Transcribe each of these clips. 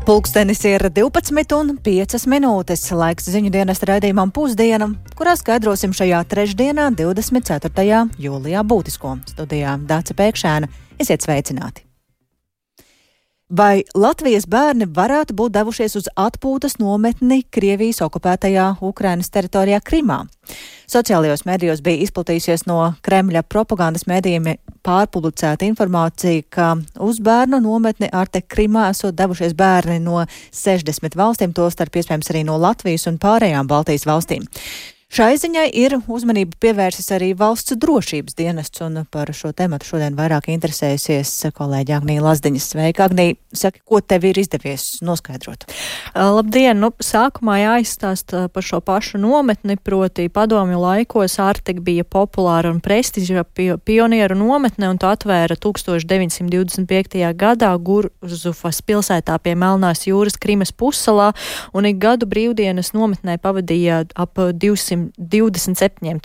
Pulkstenis ir 12:05 minūtes, laiks ziņu dienesta raidījumam Pusdiena, kurā skaidrosim šajā trešdienā, 24. jūlijā būtisko. Studijā Dāce Pēkšēna. Esiet sveicināti! Vai Latvijas bērni varētu būt devušies uz atpūtas nometni Krievijas okupētajā Ukrainas teritorijā Krimā? Sociālajos medijos bija izplatījusies no Kremļa propagandas medijiem pārpublicēta informācija, ka uz bērnu nometni Artek Krimā esot devušies bērni no 60 valstīm, tostarp iespējams arī no Latvijas un pārējām Baltijas valstīm. Šai ziņai ir uzmanību pievērsis arī valsts drošības dienests, un par šo tematu šodien vairāk interesējusies kolēģi Agnija Lazdiņa. Sveika, Agnija! Saki, ko tev ir izdevies noskaidrot? Labdien! Sākumā jāizstāsta par šo pašu nometni, proti padomju laikos Artek bija populāra un prestiža pionieru nometne, un to atvēra 1925. gadā Gurzufas pilsētā pie Melnās jūras Krimas pussalā, un ik gadu brīvdienas nometnē pavadīja ap 227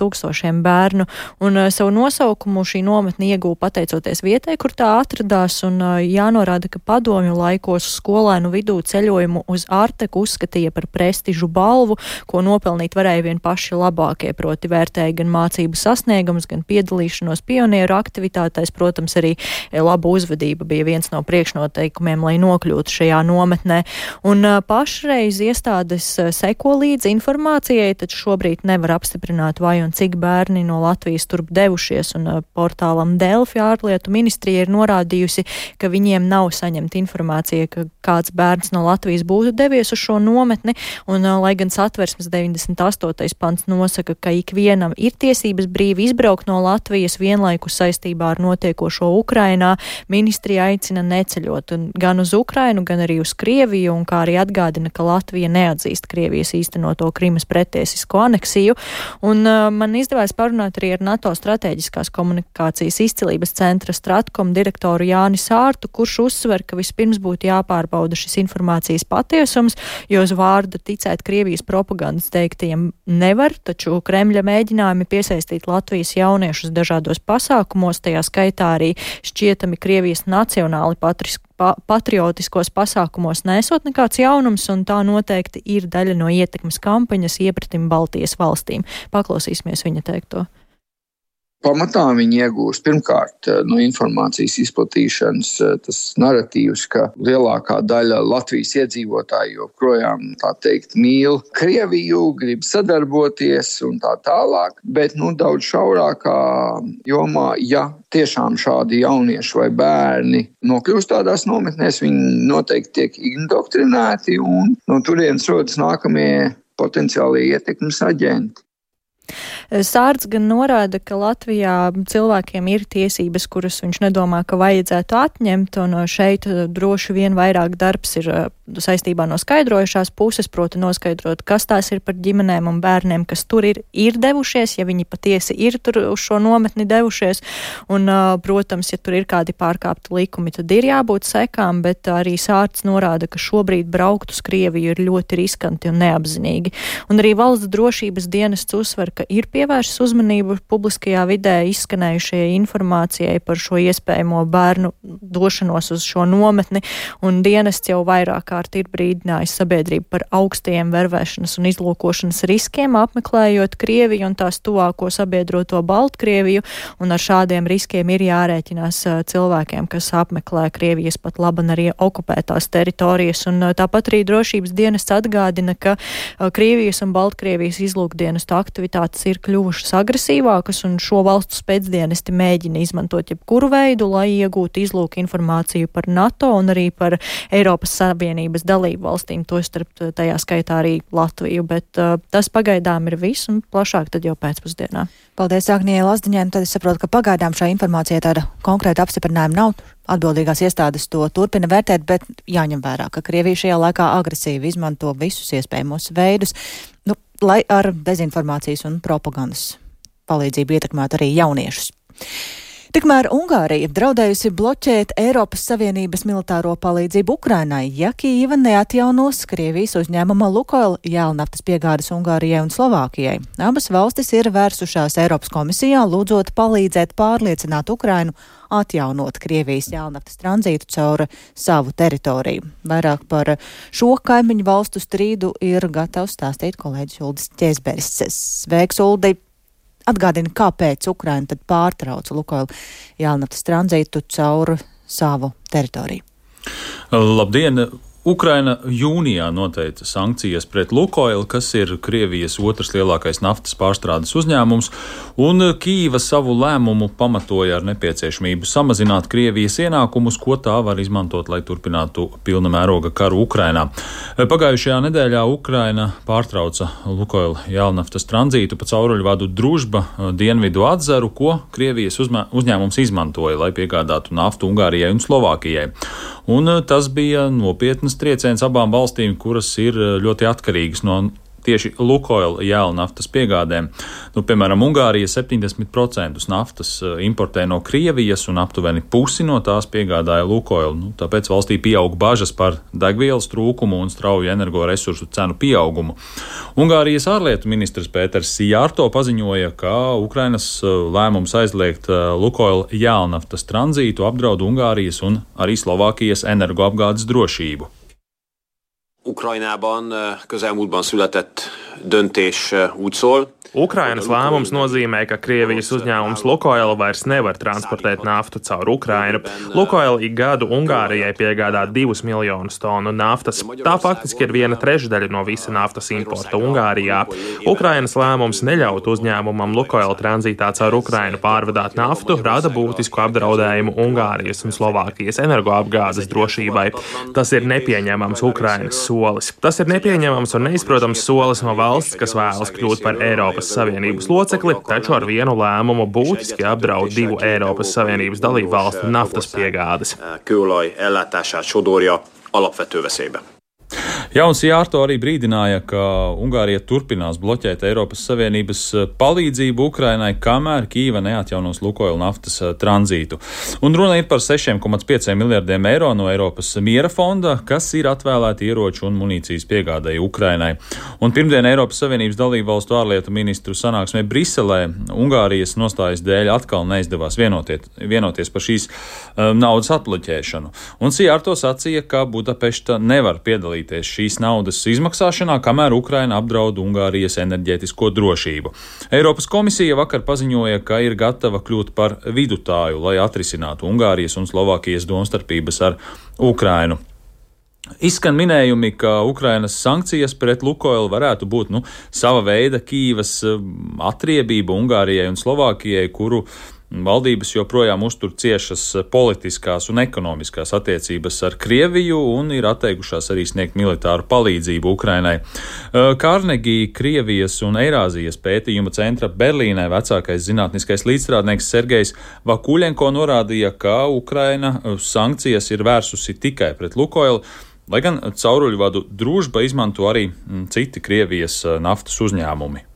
tūkstošiem bērnu, un savu nosaukumu šī nometne ieguva pateicoties vietai, kur tā atradās, un jānorāda, ka padomju laikos skolēnu vidū ceļojumu uz Arteku uzskatīja par prestižu balvu, ko nopelnīt varēja vien paši labākie, proti vērtēja gan mācību sasniegumus, gan piedalīšanos pionieru aktivitātēs, protams, arī laba uzvedība bija viens no priekšnoteikumiem, lai nokļūtu šajā nometnē, un pašreiz iestādes seko līdzi informācijai, taču šobrīd nevar apstiprināt, vai un cik bērni no Latvijas turp devušies, un portālam Delfi ārlietu ministrija ir norādījusi, ka viņiem nav saņemta informācija, ka kāds bērns no Latvijas būtu devies uz šo nometni, un lai gan Satversmes 98. pants nosaka, ka ikvienam ir tiesības brīvi izbraukt no Latvijas vienlaikus saistībā ar notiekošo Ukrainā, ministrija aicina neceļot gan uz Ukrainu, gan arī uz Krieviju, un kā arī atgādina, ka Latvija neatzīst Krievijas īstenoto Krimas pretiesisko aneksiju, un man izdevās parunāt arī ar NATO strateģiskās komunikācijas izcilības centra Stratkom direktoru Jāni Sārtu, kurš uzsver, ka vispirms būtu jāpārbauda šis informācijas patiesums, jo uz vārda ticēt Krievijas propagandas teiktajiem nevar, taču Kremļa mēģinājumi piesaistīt Latvijas jauniešus dažādos pasākumos, tajā skaitā arī šķietami Krievijas nacionāli patriotiskos pasākumos nesot nekāds jaunums, un tā noteikti ir daļa no ietekmes kampaņas iepratim Baltijas valstīm. Paklausīsimies viņa teikto. Pamatā viņi iegūst pirmkārt no informācijas izplatīšanas tas naratīvs, ka lielākā daļa Latvijas iedzīvotāji joprojām, tā teikt, mīl Krieviju, grib sadarboties un tā tālāk, bet daudz šaurākā jomā, ja tiešām šādi jaunieši vai bērni nokļūst tādās nometnēs, viņi noteikti tiek indoktrinēti, un no turienes rodas nākamie potenciālie ietekmes aģenti. Sārts gan norāda, ka Latvijā cilvēkiem ir tiesības, kuras viņš nedomā, ka vajadzētu atņemt, un šeit droši vien vairāk darbs ir saistībā no skaidrojušās puses, proti noskaidrot, kas tās ir par ģimenēm un bērniem, kas tur ir devušies, ja viņi patiesi ir tur uz šo nometni devušies, un, protams, ja tur ir kādi pārkāpti likumi, tad ir jābūt sekām, bet arī Sārts norāda, ka šobrīd braukt uz Krieviju ir ļoti riskanti un neapzinīgi. Un arī valsts drošības dienests uzsver, ka ir pievēršas uzmanību publiskajā vidē izskanējušajai informācijai par šo iespējamo bērnu došanos uz šo nometni, un dienests jau vairāk kārt ir brīdinājis sabiedrību par augstajiem vervēšanas un izlūkošanas riskiem, apmeklējot Krieviju un tās tuvāko sabiedroto Baltkrieviju, un ar šādiem riskiem ir jārēķinās cilvēkiem, kas apmeklē Krievijas pat laban arī okupētās teritorijas, un tāpat arī drošības dienests atgādina, ka Krievijas un Baltkrievijas izlūkdienestu aktivitātes ir kļuvušas agresīvākas, un šo valstu spēcdienesti mēģina izmantot jebkuru veidu, lai iegūtu izlūku informāciju par NATO un arī par Eiropas Savienības dalību valstīm, tostarp tajā skaitā arī Latviju, bet tas pagaidām ir viss, un plašāk tad jau pēcpusdienā. Paldies, Agnijai Lazdiņai. Tad es saprotu, ka pagaidām šai informācijai tāda konkrēta apstiprinājuma nav. Atbildīgās iestādes to turpina vērtēt, bet jāņem vērā, ka Krievija šajā laikā agresīvi izmanto visus iespējamos veidus, lai ar dezinformācijas un propagandas palīdzību ietekmētu arī jauniešus. Tikmēr Ungārija draudējusi bloķēt Eiropas Savienības militāro palīdzību Ukrainai, ja Kīva neatjaunos Krievijas uzņēmuma Lukoil jēlnaftas piegādes Ungārijai un Slovākijai. Abas valstis ir vērsušās Eiropas komisijā, lūdzot palīdzēt pārliecināt Ukrainu atjaunot Krievijas jēlnaftas tranzītu caur savu teritoriju. Vairāk par šo kaimiņu valstu strīdu ir gatavs stāstīt kolēģis Uldis Ķēzberis. Sveiks, Uldi! Atgādina, kāpēc Ukraina tad pārtrauca Lukoil jēlnaftas tranzītu caur savu teritoriju. Labdien! Ukraina jūnijā noteica sankcijas pret Lukoil, kas ir Krievijas otrs lielākais naftas pārstrādes uzņēmums, un Kīva savu lēmumu pamatoja ar nepieciešamību samazināt Krievijas ienākumus, ko tā var izmantot, lai turpinātu pilna mēroga karu Ukrainā. Pagājušajā nedēļā Ukraina pārtrauca Lukoil jēlnaftas tranzītu pa cauruļvadu Družba Dienvidu atzaru, ko Krievijas uzņēmums izmantoja, lai piegādātu naftu Ungārijai un Slovākijai. Un tas bija nopietnas trieciens abām valstīm, kuras ir ļoti atkarīgas no tieši Lukoil jēlnaftas piegādēm. Piemēram, Ungārija 70% naftas importē no Krievijas un aptuveni pusi no tās piegādāja Lukoil. Tāpēc valstī pieaug bažas par degvielas trūkumu un strauju energoresursu cenu pieaugumu. Ungārijas ārlietu ministrs Pēters Sijārto paziņoja, ka Ukrainas lēmums aizliegt Lukoil jēlnaftas tranzītu apdraud Ungārijas un arī Slovākijas energoapgādes drošību. Ukrajnában közelmúltban született döntés úgy szól. Ukrainas lēmums nozīmē, ka Krievijas uzņēmums Lukoil vairs nevar transportēt naftu caur Ukrainu. Lukoil ik gadu Ungārijai piegādā 2 miljonus tonu naftas. Tā faktiski ir 1/3 no visa naftas importa Ungārijā. Ukrainas lēmums neļaut uzņēmumam Lukoil tranzītā caur Ukrainu pārvadāt naftu rada būtisku apdraudējumu Ungārijas un Slovākijas energoapgādes drošībai. Tas ir nepieņemams Ukrainas solis. Tas ir nepieņemams un neizprotams solis no valsts, kas vēlas kļūt par Eiropas Savienības locekli, taču ar vienu lēmumu būtiski apdraud 2 Eiropas Savienības dalību valstu naftas piegādes. Kőolaj ellátását sodorja alapvető veszélybe. Jauns Jārto arī brīdināja, ka Ungārija turpinās bloķēt Eiropas Savienības palīdzību Ukrainai, kamēr Kīva neatjaunos Lukoil naftas tranzītu. Un runa ir par 6,5 miljardiem eiro no Eiropas miera fonda, kas ir atvēlēti ieroču un munīcijas piegādēji Ukrainai. Un pirmdien Eiropas Savienības dalību valstu ārlietu ministru sanāksmē Briselē Ungārijas nostājas dēļ atkal neizdevās vienoties par šīs naudas atbloķēšanu. Un Sijārto sacīja, ka Budapešta nevar piedalīties šīs naudas izmaksāšanā, kamēr Ukraina apdraud Ungārijas enerģētisko drošību. Eiropas komisija vakar paziņoja, ka ir gatava kļūt par vidutāju, lai atrisinātu Ungārijas un Slovākijas domstarpības ar Ukrainu. Izskan minējumi, ka Ukrainas sankcijas pret Lukoil varētu būt sava veida Kīvas atriebība Ungārijai un Slovākijai, kuru valdības joprojām uztur ciešas politiskās un ekonomiskās attiecības ar Krieviju un ir atteikušās arī sniegt militāru palīdzību Ukrainai. Carnegie Krievijas un Eirāzijas pētījuma centra Berlīnē vecākais zinātniskais līdzstrādnieks Sergejs Vakuļenko norādīja, ka Ukraina sankcijas ir vērsusi tikai pret Lukoil, lai gan cauruļvadu Družba izmanto arī citi Krievijas naftas uzņēmumi.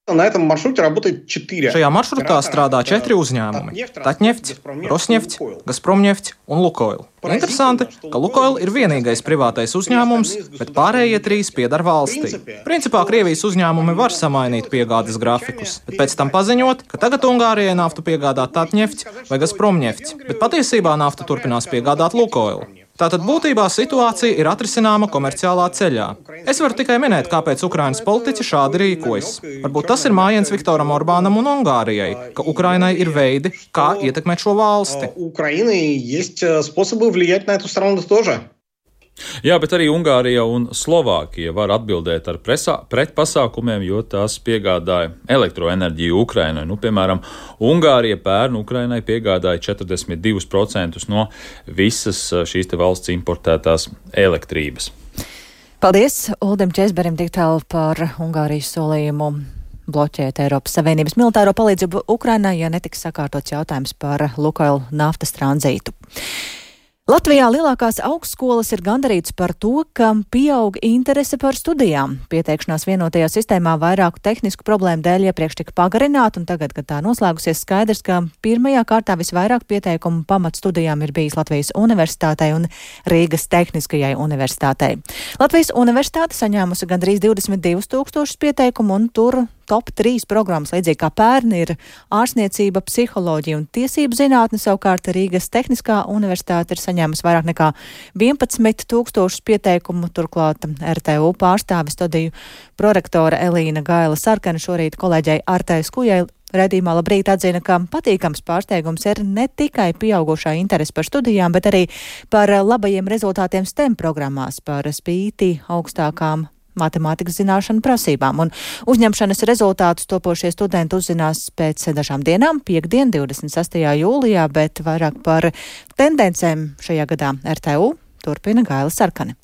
Šajā maršrutā strādā 4 uzņēmumi – Tatņefts, Rosņefts, Gazpromņefts un Lukoil. Interesanti, ka Lukoil ir vienīgais privātais uzņēmums, bet pārējie 3 pieder valstī. Principā Krievijas uzņēmumi var samainīt piegādes grafikus, bet pēc tam paziņot, ka tagad Ungārijai naftu piegādā Tatņefts vai Gazpromņefts, bet patiesībā naftu turpinās piegādāt Lukoil. Tātad būtībā situācija ir atrisināma komerciālā ceļā. Es varu tikai minēt, kāpēc Ukrainas politiķi šādi rīkojas. Varbūt tas ir mājiens Viktoram Orbānam un Ungārijai, ka Ukrainai ir veidi, kā ietekmēt šo valsti. Jā, bet arī Ungārija un Slovākija var atbildēt ar pretpasākumiem, jo tās piegādāja elektroenerģiju Ukrainai. Piemēram, Ungārija pērn Ukrainai piegādāja 42% no visas šīs te valsts importētās elektrības. Paldies Uldim Ķēzberim tik tālu par Ungārijas solījumu bloķēt Eiropas Savienības militāro palīdzību Ukrainai, ja netiks sakārtots jautājums par Lukoil naftas tranzītu. Latvijā lielākās augstskolas ir gandarītas par to, ka pieaug interese par studijām. Pieteikšanās vienotajā sistēmā vairāku tehnisku problēmu dēļ iepriekš tika pagarināta, un tagad, kad tā noslēgusies, skaidrs, ka pirmajā kārtā visvairāk pieteikumu pamatstudijām ir bijis Latvijas Universitātei un Rīgas Tehniskajai Universitātei. Latvijas Universitāte saņēmusi gandrīz 22 000 pieteikumu, un tur top 3 programmas, līdzīgi kā pērni, ir ārstniecība, psiholoģija un tiesību zinātne. Savukārt Rīgas Tehniskā Universitāte ir saņēmusi vairāk nekā 11 000 pieteikumu. Turklāt RTU pārstāve studiju prorektore Elīna Gaila Sarkane šorīt kolēģei Artai Skujai raidījumā Labrīt atzina, ka patīkams pārsteigums ir ne tikai pieaugušā interese par studijām, bet arī par labajiem rezultātiem STEM programmās, par spīti augstākām matemātikas zināšanu prasībām. Un uzņemšanas rezultātus topošie studenti uzzinās pēc dažām dienām, piektdien, 26. jūlijā, bet vairāk par tendencēm šajā gadā RTU turpina Gaila Sarkane.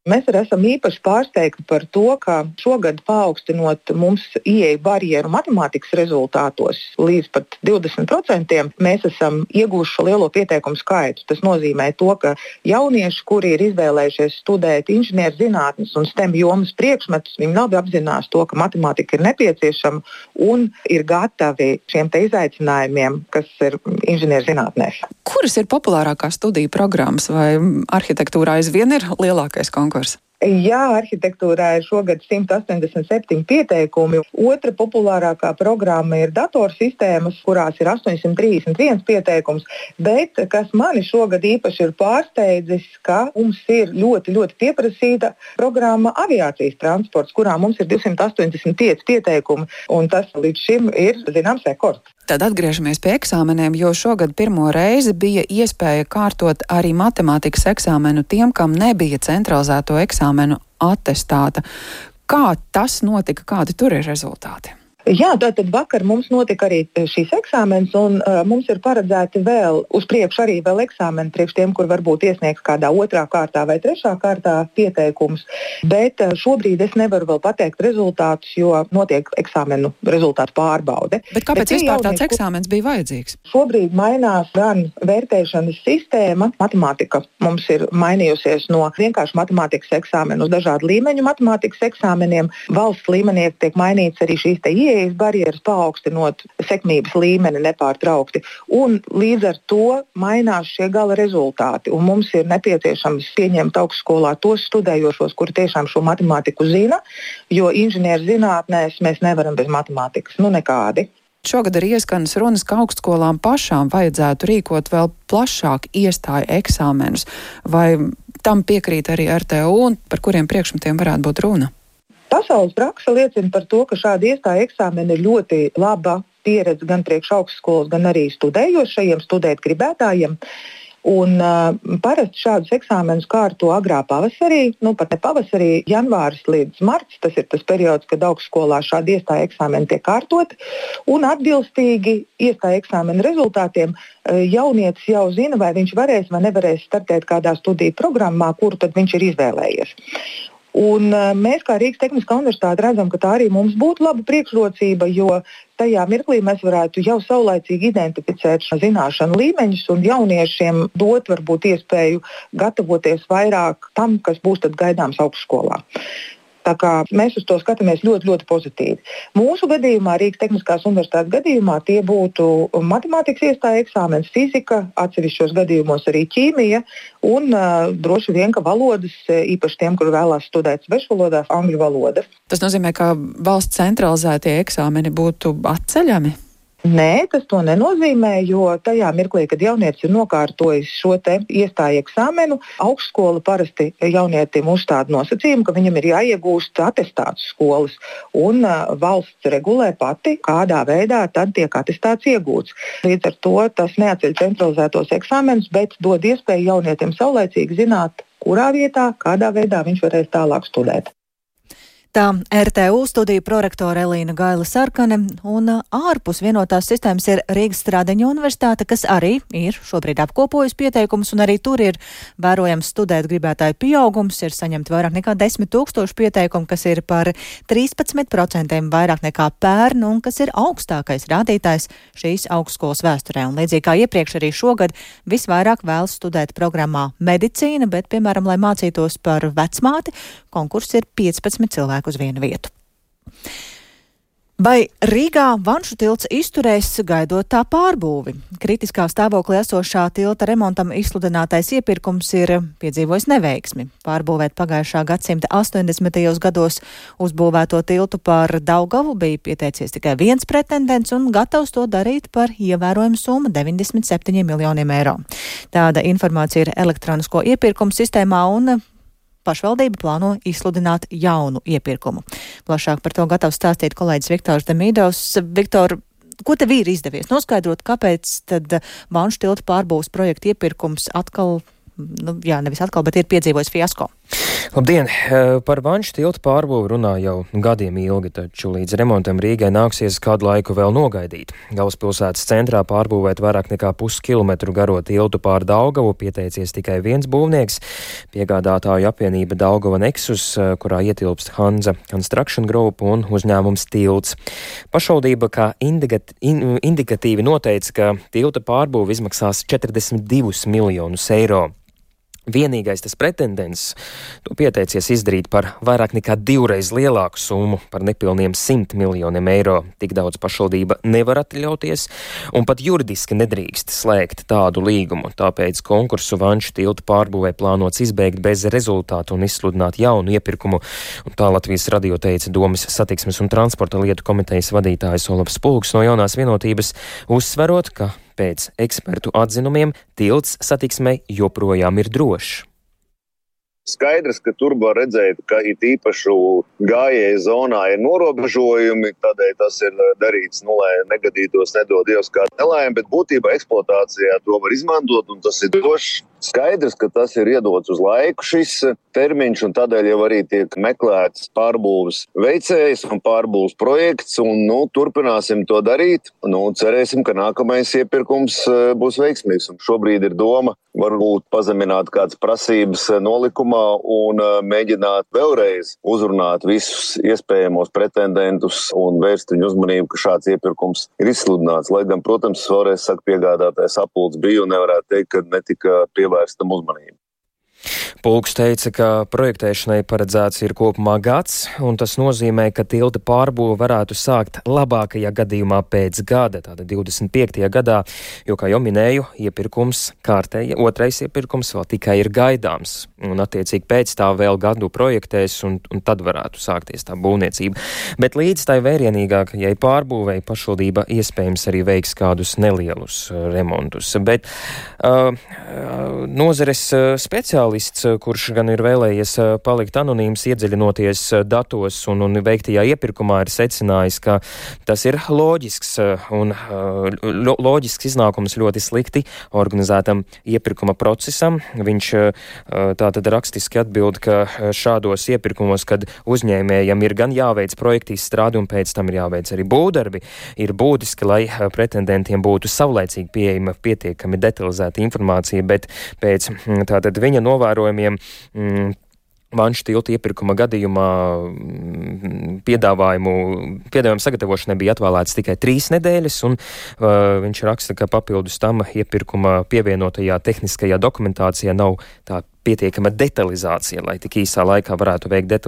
Mēs arī esam īpaši pārsteigti par to, ka šogad paaugstinot mums ieeju barjeru matemātikas rezultātos līdz pat 20%, mēs esam ieguvuši šo lielo pieteikumu skaitu. Tas nozīmē to, ka jaunieši, kuri ir izvēlējušies studēt inženierzinātnes un STEM jomas priekšmetus, viņi labi apzinās to, ka matemātika ir nepieciešama un ir gatavi šiem te izaicinājumiem, kas ir inženierzinātnēs. Kuras ir populārākās studiju programmas, vai arhitektūrā aizvien ir lielākais konkurss? Jā, arhitektūrā ir šogad 187 pieteikumi. Otra populārākā programma ir datorsistēmas, kurās ir 831 pieteikums. Bet, kas mani šogad īpaši ir pārsteidzis, ka mums ir ļoti, ļoti pieprasīta programma aviācijas transports, kurā mums ir 285 pieteikumi, un tas līdz šim ir zināms rekords. Tad atgriežamies pie eksāmeniem, jo šogad pirmo reizi bija iespēja kārtot arī matemātikas eksāmenu tiem, kam nebija centralizēto eksāmenu atestāta. Kā tas notika, kādi tur ir rezultāti? Jā, tātad vakar mums notika arī šīs eksāmenes, un mums ir paredzēti vēl uz priekšu arī vēl eksāmeni priekš tiem, kur varbūt iesniegs kādā 2. kārtā vai 3. kārtā pieteikums. Bet šobrīd es nevaru vēl pateikt rezultātus, jo notiek eksāmenu rezultātu pārbaude. Bet kāpēc vispār tāds eksāmens bija vajadzīgs? Šobrīd mainās gan vērtēšanas sistēma. Matemātika mums ir mainījusies no vienkārši matemātikas eksāmenu uz dažādu līmeņu matemātikas eksāmeniem. Valsts līmenī tiek mainīts arī šīs te barjeras, paaugstinot sekmības līmeni nepārtraukti. Un līdz ar to mainās šie gala rezultāti. Un mums ir nepieciešams pieņemt augstskolā tos studējošos, kuri tiešām šo matemātiku zina, jo inženierzinātnēs mēs nevaram bez matemātikas. Nekādi. Šogad arī ieskanas runas, ka augstskolām pašām vajadzētu rīkot vēl plašāk iestāju eksāmenus. Vai tam piekrīt arī RTU un par kuriem priekšmetiem varētu būt runa? Pasaules praksa liecina par to, ka šādi iestāju eksāmeni ir ļoti laba pieredze gan priekš augstskolas, gan arī studējošajiem, studēt gribētājiem. Un parasti šādus eksāmenus kārto agrā pavasarī, pat ne pavasarī, janvāris līdz marts. Tas ir tas periods, kad augstskolā šādi iestāju eksāmeni tiek kārtoti. Un atbilstīgi iestāju eksāmenu rezultātiem jaunietis jau zina, vai viņš varēs vai nevarēs startēt kādā studiju programmā, kuru tad viņš ir izvēlējies. Un mēs, kā Rīgas Tehniskā Universitāte, redzam, ka tā arī mums būtu laba priekšrocība, jo tajā mirklī mēs varētu jau saulaicīgi identificēt zināšanu līmeņus un jauniešiem dot varbūt iespēju gatavoties vairāk tam, kas būs tad gaidāms augstskolā. Tā kā mēs uz to skatāmies ļoti, ļoti pozitīvi. Mūsu gadījumā, Rīgas Tehniskās Universitātes gadījumā, tie būtu matemātikas iestāja eksāmens, fizika, atsevišķos gadījumos arī ķīmija un droši vien, ka valodas, īpaši tiem, kur vēlās studēt svešvalodās, angļu valoda. Tas nozīmē, ka valsts centralizētie eksāmeni būtu atceļami? Nē, tas to nenozīmē, jo tajā mirklī, kad jaunietis ir nokārtojis šo te iestāju eksāmenu, augstskola parasti jaunietim uzstāda nosacījumu, ka viņam ir jāiegūst atestāts skolas, un valsts regulē pati, kādā veidā tad tiek atestāts iegūts. Līdz ar to tas neatceļ centralizētos eksāmenus, bet dod iespēju jaunietim saulaicīgi zināt, kurā vietā, kādā veidā viņš varēs tālāk studēt. Tā RTU studiju prorektore Elīna Gaila Sarkane, un ārpus vienotās sistēmas ir Rīgas Strādeņu universitāte, kas arī ir šobrīd apkopojusi pieteikumus, un arī tur ir vērojams studēt gribētāju pieaugums, ir saņemti vairāk nekā 10 000 pieteikumu, kas ir par 13% vairāk nekā pērn, un kas ir augstākais rādītājs šīs augstskolas vēsturē. Un līdzīgi kā iepriekš arī šogad visvairāk vēlas studēt programmā medicīna, bet, piemēram, lai mācītos par vecmāti, konkurss ir 15 cilvēku uz vienu vietu. Vai Rīgā Vanšu tilts izturēs gaidot tā pārbūvi? Kritiskā stāvoklī esošā tilta remontam izsludinātais iepirkums ir piedzīvojis neveiksmi. Pārbūvēt pagājušā gadsimta 80. gados uzbūvēto tiltu pār Daugavu bija pieteicies tikai viens pretendents un gatavs to darīt par ievērojumu summu 97 miljoniem eiro. Tāda informācija ir elektronisko iepirkumu sistēmā un pašvaldība plāno izsludināt jaunu iepirkumu. Plašāk par to gatavs stāstīt kolēģis Viktors Demīdovs. Viktor, ko tev ir izdevies noskaidrot, kāpēc tad Vanšu tilta pārbūves projekta iepirkums atkal, nevis atkal, bet ir piedzīvojis fiasko? Labdien! Par Vanšu tilta pārbūvi runā jau gadiem ilgi, taču līdz remontam Rīgai nāksies kādu laiku vēl nogaidīt. Galvaspilsētas centrā pārbūvēt vairāk nekā puskilometru garo tiltu pār Daugavu pieteicies tikai viens būvnieks - piegādātāju apvienība Daugava Nexus, kurā ietilpst Hanza Construction Group un uzņēmums Tilts. Pašvaldība kā indikatīvi noteica, ka tilta pārbūve izmaksās 42 miljonus eiro. Vienīgais tas pretendents to pieteicies izdarīt par vairāk nekā 2 lielāku summu, par nepilniem 100 miljoniem eiro. Tik daudz pašvaldība nevar atļauties un pat juridiski nedrīkst slēgt tādu līgumu. Tāpēc konkursu Vanšu tilta pārbūvē plānots izbeigt bez rezultātu un izsludināt jaunu iepirkumu. Un tā Latvijas radio teica Domes satiksmes un transporta lietu komitejas vadītājs Olafs Pulks no Jaunās vienotības, uzsverot, ka pēc ekspertu atzinumiem tilts satiksmei joprojām ir drošs. Skaidrs, ka tur var redzēt, ka it īpašu gājēju zonā ir norobežojumi, tādēļ tas ir darīts, lai negadītos, nedod Dievs kā nelaime, bet būtībā eksploatācijā to var izmantot un tas ir drošs. Skaidrs, ka tas ir iedots uz laiku šis termiņš un tādēļ jau arī tiek meklēts pārbūves veicējs un pārbūves projekts un, turpināsim to darīt. Cerēsim, ka nākamais iepirkums būs veiksmīgs un šobrīd ir doma varbūt pazemināt kādas prasības nolikumā un mēģināt vēlreiz uzrunāt visus iespējamos pretendentus un vērst viņu uzmanību, ka šāds iepirkums ir izsludināts. Lai gan, protams, vēlreiz saka, piegādātājs apulcs bija un nevarētu teikt, ka netika pievērstam uzmanību. Pulks teica, ka projektēšanai paredzēts ir kopumā gads, un tas nozīmē, ka tilta pārbūve varētu sākt labākajā gadījumā pēc gada, tāda 25. gadā, jo, kā jau minēju, otrais iepirkums vēl tikai ir gaidāms, un attiecīgi pēc tā vēl gadu projektēs, un tad varētu sākties tā būvniecība. Bet līdz tai vērienīgākajai pārbūvei pašvaldība iespējams arī veiks kādus nelielus remontus. Bet nozares speciālists, kurš gan ir vēlējies palikt anonīms, iedziļinoties datos un veiktajā iepirkumā, ir secinājis, ka tas ir loģisks iznākums ļoti slikti organizētam iepirkuma procesam. Viņš tātad rakstiski atbild, ka šādos iepirkumos, kad uzņēmējam ir gan jāveic projekta izstrāde un pēc tam ir jāveic arī būvdarbi, ir būtiski, lai pretendentiem būtu savlaicīgi pieejama pietiekami detalizēta informācija, bet pēc tātad viņa novērojumiem Vanšu tilta iepirkuma gadījumā piedāvājumu sagatavošanai bija atvēlēts tikai 3 nedēļas, un viņš raksta, ka papildus tam iepirkuma pievienotajā tehniskajā dokumentācijā nav tā pietiekama detalizācija, lai tik īsā laikā varētu veikt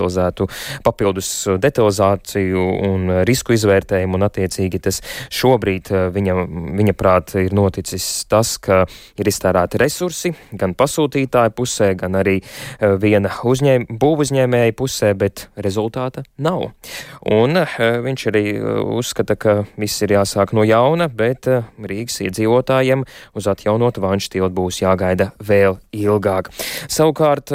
papildus detalizāciju un risku izvērtējumu, un attiecīgi tas šobrīd viņa prāt ir noticis tas, ka ir iztērēti resursi gan pasūtītāju pusē, gan arī viena būvuzņēmēja pusē, bet rezultāta nav. Un viņš arī uzskata, ka viss ir jāsāk no jauna, bet Rīgas iedzīvotājiem uz atjaunotu Vanšu tiltu būs jāgaida vēl ilgāk. Savukārt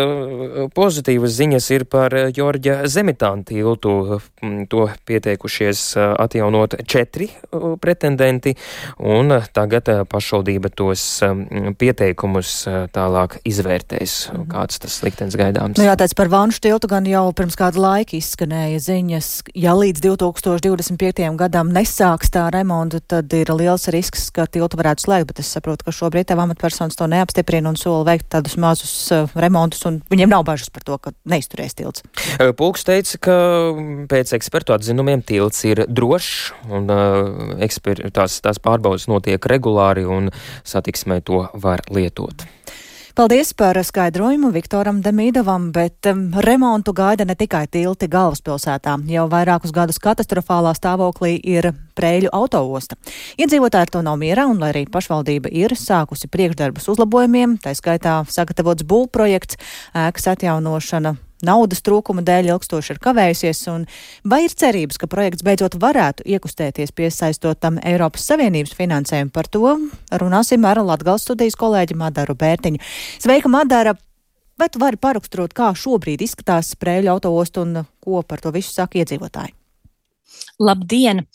pozitīvas ziņas ir par Jorģa Zemitāna tiltu. To pieteikušies atjaunot 4 pretendenti, un tagad pašvaldība tos pieteikumus tālāk izvērtēs. Kāds tas liktenis gaidāms? Nu jā, tāds par Vanšu tiltu gan jau pirms kāda laika izskanēja ziņas. Ja līdz 2025. gadam nesāks tā remontu, tad ir liels risks, ka tiltu varētu slēgt, bet es saprotu, ka šobrīd tev amatpersonas to neapstiprina un sola veikt tādus mazus remontus, un viņiem nav bažas par to, ka neizturēs tilts. Pulks teica, ka pēc ekspertu atzinumiem tilts ir drošs, un tās pārbaudas notiek regulāri, un satiksmē to var lietot. Paldies par skaidrojumu Viktoram Demīdovam, bet remontu gaida ne tikai tilti galvaspilsētā. Jau vairākus gadus katastrofālā stāvoklī ir Preiļu autoosta. Iedzīvotāji ar to nav mierā, un lai arī pašvaldība ir sākusi priekšdarbus uzlabojumiem, tā skaitā sagatavots būvprojekts, ēkas atjaunošana naudas trūkuma dēļ ilgstoši ir kavējusies, un vai ir cerības, ka projekts beidzot varētu iekustēties piesaistot tam Eiropas Savienības finansējumu? Par to runāsim ar Latgales studijas kolēģi Madaru Bērtiņu. Sveika, Madara! Vai tu vari paraksturot, kā šobrīd izskatās Preiļu autoostu un ko par to visu saka iedzīvotāji? Labdien!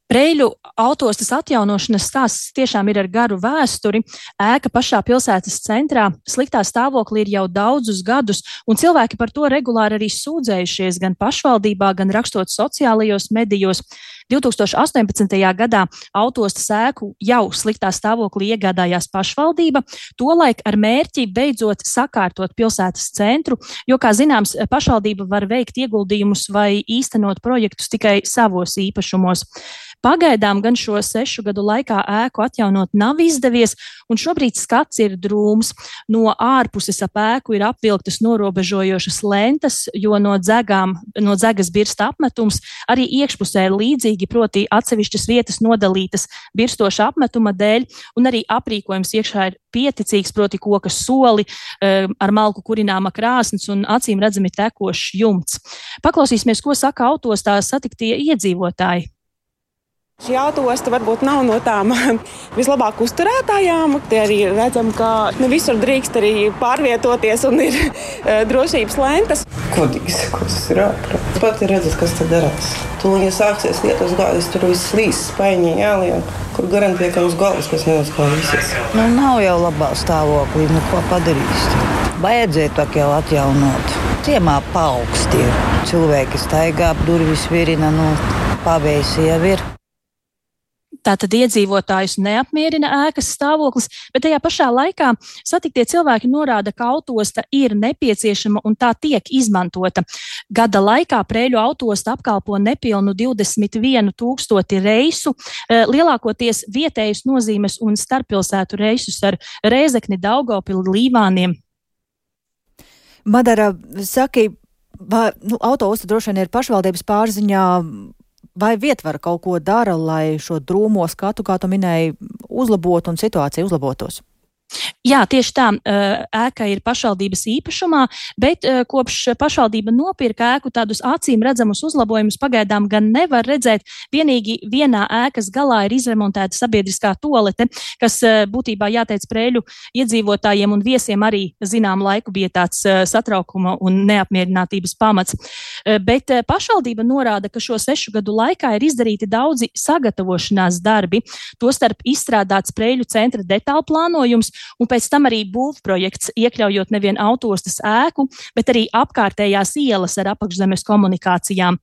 Preiļu autostas atjaunošanas stāsts tiešām ir ar garu vēsturi. Ēka pašā pilsētas centrā sliktā stāvoklī ir jau daudzus gadus, un cilvēki par to regulāri arī sūdzējušies gan pašvaldībā, gan rakstot sociālajos medijos. 2018. gadā autostas ēku jau sliktā stāvoklī iegādājās pašvaldība, tolaik ar mērķi beidzot sakārtot pilsētas centru, jo, kā zināms, pašvaldība var veikt ieguldījumus vai īstenot projektus tikai savos īpašumos. Pagaidām gan šo 6 gadu laikā ēku atjaunot nav izdevies, un šobrīd skats ir drūms. No ārpuses ap ēku ir apvilktas norobežojošas lentas, jo no dzegas birsta apmetums, arī iekšpusē ir līdzīgi, proti atsevišķas vietas nodalītas birstoša apmetuma dēļ, un arī aprīkojums iekšā ir pieticīgs, proti koka soli, ar malku kurināma krāsns un acīm redzami tekošs jumts. Paklausīsimies, ko saka autostā satiktie iedzīvotāji. Šī autoosta varbūt nav no tām vislabāk uzturētājām. Te arī redzam, ka ne visur drīkst arī pārvietoties un ir drošības lentas. Kodīgi sakot, tas ir ārprāt. Pat ir redzes, kas te darās. Tūlīt, ja sāksies lietus gājas, tur viss slīs, spaiņi jāliek, kur garantē, ka uz galvas kas neuzklāvīsies. Nav jau labā stāvoklī, ko padarīs. Vajadzēja tā jau atjaunot. Ciemā paaugsti ir. Cilvēki staigā, durvis virina, pavēsi jau ir. Tātad iedzīvotājus neapmierina ēkas stāvoklis, bet tajā pašā laikā satiktie cilvēki norāda, ka autoosta ir nepieciešama un tā tiek izmantota. Gada laikā Preiļu autoosta apkalpo nepilnu 21 000 reisu, lielākoties vietējas nozīmes un starppilsētu reisus ar Rēzekni, Daugavpili, Līvāniem. Madara, saki, autoosta droši vien ir pašvaldības pārziņā. Vai vietvara kaut ko dara, lai šo drūmo skatu, kā tu minēji, uzlabotu un situācija uzlabotos? Jā, tieši tā, ēka ir pašvaldības īpašumā, bet kopš pašvaldība nopirka ēku, tādus acīm redzamus uzlabojumus pagaidām gan nevar redzēt. Vienīgi vienā ēkas galā ir izremontēta sabiedriskā tualete, kas būtībā jāteic Preiļu iedzīvotājiem un viesiem arī zinām laiku bija tāds satraukuma un neapmierinātības pamats. Bet pašvaldība norāda, ka šo 6 gadu laikā ir izdarīti daudzi sagatavošanās darbi, tostarp izstrādāts Preiļu centra detālu plānojums, un pēc tam arī būvprojekts, iekļaujot nevien autostas ēku, bet arī apkārtējās ielas ar apakšzemes komunikācijām.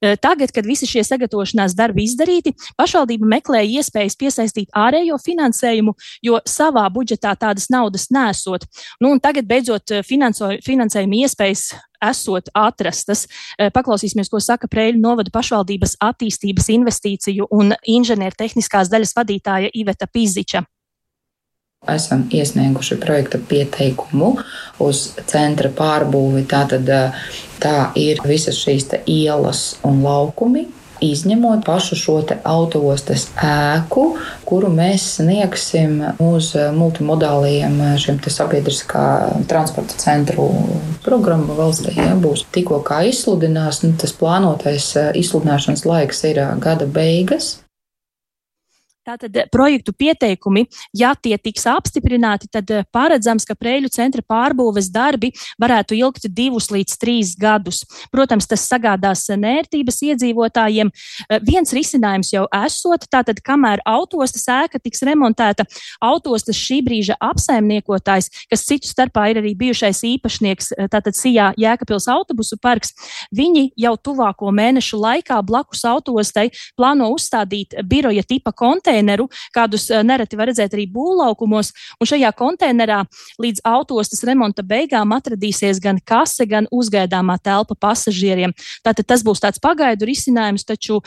Tagad, kad visi šie sagatavošanās darbi izdarīti, pašvaldība meklēja iespējas piesaistīt ārējo finansējumu, jo savā budžetā tādas naudas nesot. Un tagad beidzot finansējuma iespējas esot atrastas. Paklausīsimies, ko saka Preiļu novada pašvaldības attīstības investīciju un inženiertehniskās daļas vadītāja Iveta Piziča. Esam iesnieguši projekta pieteikumu uz centra pārbūvi. Tātad tā ir visas šīs ielas un laukumi, izņemot pašu šo autoostas ēku, kuru mēs sniegsim uz multimodāliem šiem sabiedriskā transporta centru programmu valstī. Ja, būs tikko kā izsludinās, tas plānotais izsludināšanas laiks ir gada beigas. Tātad projektu pieteikumi, ja tie tiks apstiprināti, tad paredzams, ka Preiļu centra pārbūves darbi varētu ilgt 2 līdz 3 gadus. Protams, tas sagādās nērtības iedzīvotājiem. Viens risinājums jau esot, tātad, kamēr autostas ēka tiks remontēta, autostas šī brīža apsaimniekotājs, kas citu starpā ir arī bijušais īpašnieks, tātad Sijā Jēkabpils autobusu parks, viņi jau tuvāko mēnešu laikā blakus autostai plāno uzstādīt biroja tipa konteineru, kādus nereti var redzēt arī būvlaukumos, un šajā konteinerā līdz autostas remonta beigām atradīsies gan kase, gan uzgaidāmā telpa pasažieriem. Tātad tas būs tāds pagaidu risinājums, taču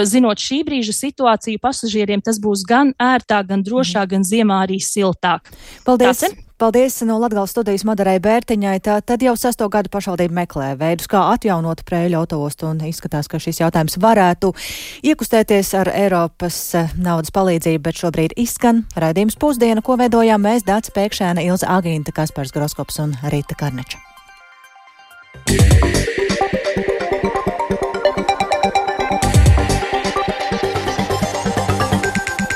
zinot šī brīža situāciju, pasažieriem tas būs gan ērtāk, gan drošāk, gan ziemā arī siltāk. Paldies! Paldies no Latgales studijas Madarai Bērtiņai. Tad jau 6. gadu pašvaldība meklē veidus, kā atjaunot Preiļu autoostu, un izskatās, ka šis jautājums varētu iekustēties ar Eiropas naudas palīdzību, bet šobrīd izskan raidījums Pusdiena, ko veidojām mēs, Dāca Pēkšēna, Ilze Agīnta, Kaspars Groskops un Rīta Karneča.